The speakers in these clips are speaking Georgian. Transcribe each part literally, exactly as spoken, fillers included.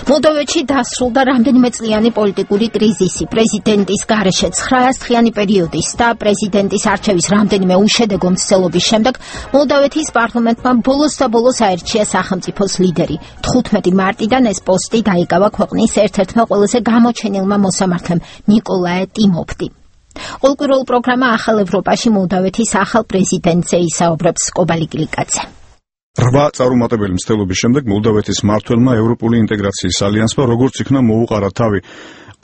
მოლდოვეთში დასრულდა რამდენიმე წლიანი პოლიტიკური კრიზისი. პრეზიდენტის გარეშე ცხრაას დღიანი პერიოდის და პრეზიდენტის არჩევის რამდენიმე უშედეგო მცდელობის შემდეგ მოლდოვეთის პარლამენტმა ბოლოს და ბოლოს აირჩია სახელმწიფოს ლიდერი. თხუთმეტი მარტიდან ეს პოსტი დაიკავა ქვეყნის ერთ-ერთმა ყველაზე გამოჩენილმა მოსამართლემ ნიკოლაე ტიმოფტი. ყოველკვირეულ პროგრამა ახალ ევროპაში მოლდოვეთის ახალ პრეზიდენტზე ისაუბრებს კობალი გლიკაძე. რვა წარუმატებელი მცდელობის შემდეგ მოლდოვეთის მმართველმა ევროპული ინტეგრაციის ალიანსმა როგორც იქნა მოუყარა თავი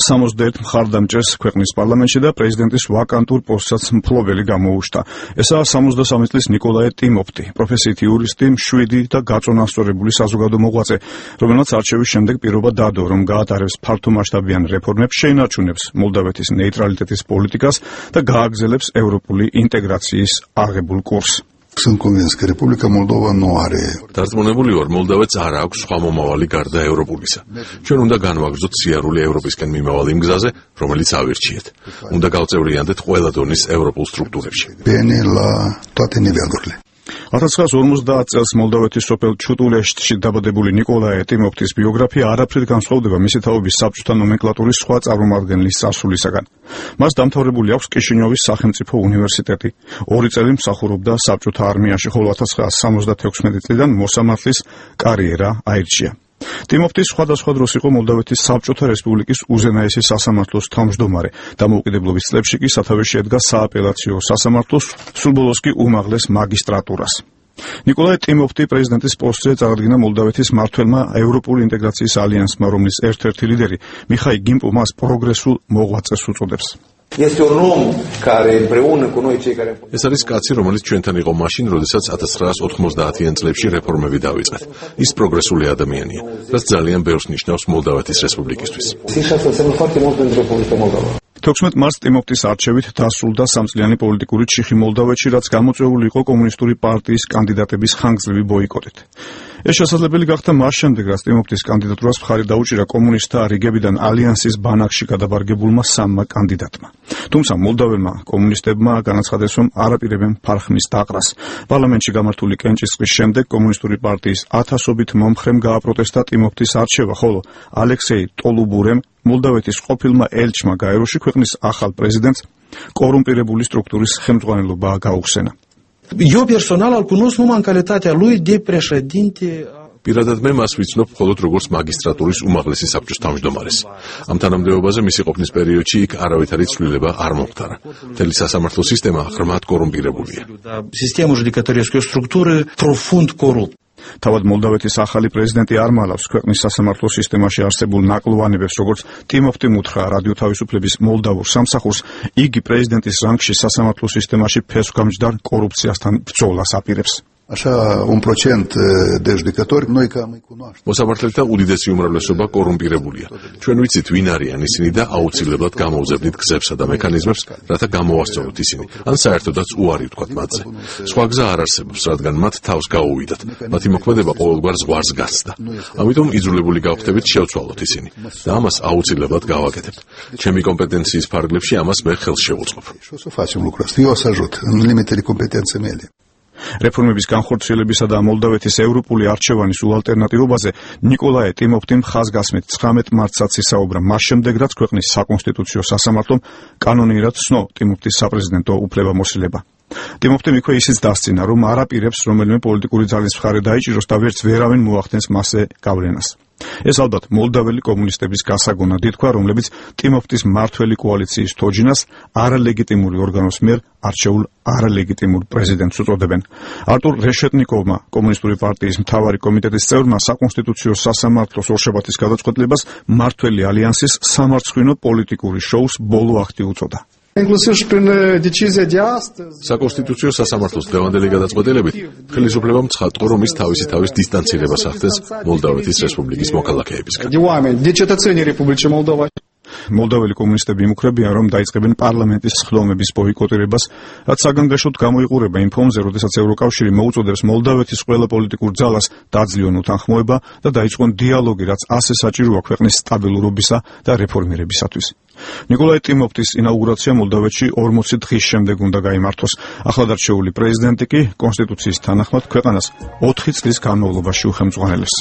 სამოცდაერთ მხარდამჭერს ქვეყნის პარლამენტში და პრეზიდენტის ვაკანტურ პოსტსაც მფლობელი გამოუშთა. ესაა სამოცდასამი წლის ნიკოლაე ტიმოფტი, პროფესიით იურისტი, მშვიდი და გაწონასწორებული საზოგადო მოღვაწე, რომელმაც არჩევის შემდეგ პირობა დადო, რომ გაატარებს ფართომასშტაბიან რეფორმებს, შეინარჩუნებს მოლდოვეთის ნეიტრალიტეტის პოლიტიკას და გააგრძელებს ევროპული ინტეგრაციის აღებულ კურსს. Sunt convins că Republica Moldova nu are. Დარწმუნებული ვარ, მოლდოვეთს არ აქვს სხვა მომავალი გარდა ევროპულისა. ჩვენ უნდა განვაგრძოთ სიარული ევროპისკენ მიმავალ იმ გზაზე, რომელიც ავირჩიეთ. უნდა გავწევრიანდეთ ყველა დონის ევროპულ სტრუქტურებში. Bine la toate nivelurile. ათას ცხრაას ორმოცდაათ წელს მოლდოვეთის სოფელ ჩუტულეშტში დაბადებული ნიკოლაე ტიმოფტის ბიოგრაფია არაფრით განსხვავდება მისი თაობის საბჭოთა ნომენკლატურის სხვა წარმომადგენლის წარსულისაგან. მას დამთავრებული აქვს კიშინიოვის სახელმწიფო უნივერსიტეტი. ორი წელი მსახურობდა საბჭოთა არმიაში, ხოლო ათას ცხრაას სამოცდათექვსმეტი წლიდან მოსამართლის კარიერა აირჩია. ტიმოფტი სხვადასხვა დროს იყო მოლდოვეთის საბჭოთა რესპუბლიკის უზენაესი სასამართლოს თავმჯდომარე. დამოუკიდებლობის წლებში კი სათავეში შედგა სააპელაციო სასამართლოს, სულ ბოლოს კი უმაღლეს მაგისტრატურას. ნიკოლაე ტიმოფტი პრეზიდენტის პოსტზე წარადგინა მოლდოვეთის მმართველმა ევროპული ინტეგრაციის ალიანსმა, რომლის ერთ-ერთი ლიდერი მიხაილ გიმპო მას პროგრესულ მოღვაწეს უწოდებს. ეს არის კაცი, რომელიც ჩვენთან იყო მაშინ, როდესაც ათას ცხრაას ოთხმოცდაათიან წლებში რეფორმები დავიწყეთ. ის პროგრესული ადამიანია, რაც ძალიან ბევრს ნიშნავს მოლდოვეთის რესპუბლიკისთვის. თექვსმეტ მარტს ტიმოფტის არჩევით დასრულდა სამწლიანი პოლიტიკური ჩიხი მოლდოვეთში, რაც გამოწვეული იყო კომუნისტური პარტიის კანდიდატების ხანგრძლივი ბოიკოტით. ეს შესაძლებელი გახდა მას შემდეგ, რაც ტიმოფტის კანდიდატურას მხარი დაუჭირა კომუნისტთა რიგებიდან ალიანსის ბანაკში გადაბარგებულმა სამმა კანდიდატმა. თუმცა მოლდოველმა კომუნისტებმა განაცხადეს, რომ არ აპირებენ ფარხმის დაყრას. პარლამენტში გამართული კენჭისყრის შემდეგ კომუნისტური პარტიის ათასობით მომხრემ გააპროტესტა ტიმოფტის არჩევა, ხოლო ალექსეი ტოლუბურემ მოლდოვეთის ყოფილმა ელჩმა გაეროში ქვეყნის ახალ პრეზიდენტს კორუმპირებული სტრუქტურის ხელმძღვანელობა გაუხსენა. Eu personal îl cunosc numai în calitatea lui de președinte. პირადად მე მას ვიცნობ მხოლოდ როგორც მაგისტრატურის უმაღლესი საბჭოს თავმჯდომარეს. ამ თანამდებობაზე მისი ყოფნის პერიოდში იქ არავითარი ცვლილება არ მომხდარა. მთელი სასამართლო სისტემა ღრმად კორუმპირებულია. Sistemul judecătoresc e o structură profund corupt. თავად მოლდოვეთის ახალი პრეზიდენტი არ მალავს ქვეყნის სასამართლო სისტემაში არსებულ ნაკლოვანებებს, როგორც ტიმოფტიმ უთხრა რადიო თავისუფლების მოლდავურ სამსახურს, იგი პრეზიდენტის რანგში სასამართლო სისტემაში ფესვგამჯდარ კორუფციასთან ბრძოლას აპირებს. Așa, un procent de judecători, noi cam îi cunoaștem. მოსამართლეთა უდიდესი უმრავლესობა კორუმპირებულია. ჩვენ ვიცით ვინ არიან ისინი და აუცილებლად გამოვზებნით გზებსა და მექანიზმებს, რათა გამოვასწოროთ ისინი, ან საერთოდაც უარი ვთქვათ მათზე. სხვა გზა არ არსებობს, რადგან მათ თავს გაუვიდათ. მათი მოქმედება ყოველგვარ ზღვარს გასცდა. ამიტომ იძულებული გავხდებით შევცვალოთ ისინი და ამას აუცილებლად გავაკეთებთ. ჩემი კომპეტენციის ფარგლებში ამას მე ხელს შევუწყობ. Și o să facem lucrul ăsta. Eu o să ajut în limitele competenței mele. რეფორმების განხორციელებისა და მოლდოვეთის ევროპული არჩევანის უალტერნატივობაზე ნიკოლაე ტიმოფტიმ ხაზგასმით ცხრამეტ მარტსაც ისაუბრა, მას შემდეგ, რაც ქვეყნის საკონსტიტუციო სასამართლომ კანონიერად ცნო ტიმოფტის საპრეზიდენტო უფლებამოსილება. ტიმოფტიმ იქვე ისიც დასცინა, რომ არ აპირებს რომელიმე პოლიტიკური ძალის მხარე დაიჭიროს და ვერც ვერავინ მოახდენს მასზე გავლენას. ეს ალბათ მოლდოველი კომუნისტების გასაგონად ითქვა, რომლებიც ტიმოფტის მმართველი კოალიციის თოჯინას არალეგიტიმური ორგანოს მიერ არჩეულ არალეგიტიმურ პრეზიდენტს უწოდებენ. არტურ რეშეტნიკოვმა, კომუნისტური პარტიის მთავარი კომიტეტის წევრმა, საკონსტიტუციო სასამართლოს ორშაბათის გადაწყვეტილებას მმართველი ალიანსის სამარცხვინო პოლიტიკური შოუს ბოლო აქტი უწოდა. საკონსტიტუციო სასამართლოს დღევანდელი გადაწყვეტილებით ხელისუფლებამ ცხადყო, რომ ის თავისი თავის დისტანცირებას ახდენს მოლდოვეთის რესპუბლიკის მოქალაქეებისგან. მოლდოველი კომუნისტები იმუქრებიან, რომ დაიწყებენ პარლამენტის სხდომების ბოიკოტირებას, რაც საგანგაშოდ გამოიყურება იმ ფონზე, როდესაც ევროკავშირი მოუწოდებს მოლდოვეთის ყველა პოლიტიკურ ძალას დაძლიონ უთანხმოება და დაიწყონ დიალოგი, რაც ასე საჭიროა ქვეყნის სტაბილურობისა და რეფორმირებისათვის. ნიკოლაე ტიმოფტის ინაუგურაცია მოლდოვეთში ორმოცი დღის შემდეგ უნდა გაიმართოს. ახლად არჩეული პრეზიდენტი კი კონსტიტუციის თანახმად ქვეყანას ოთხი წლის განმავლობაში უხელმძღვანელებს.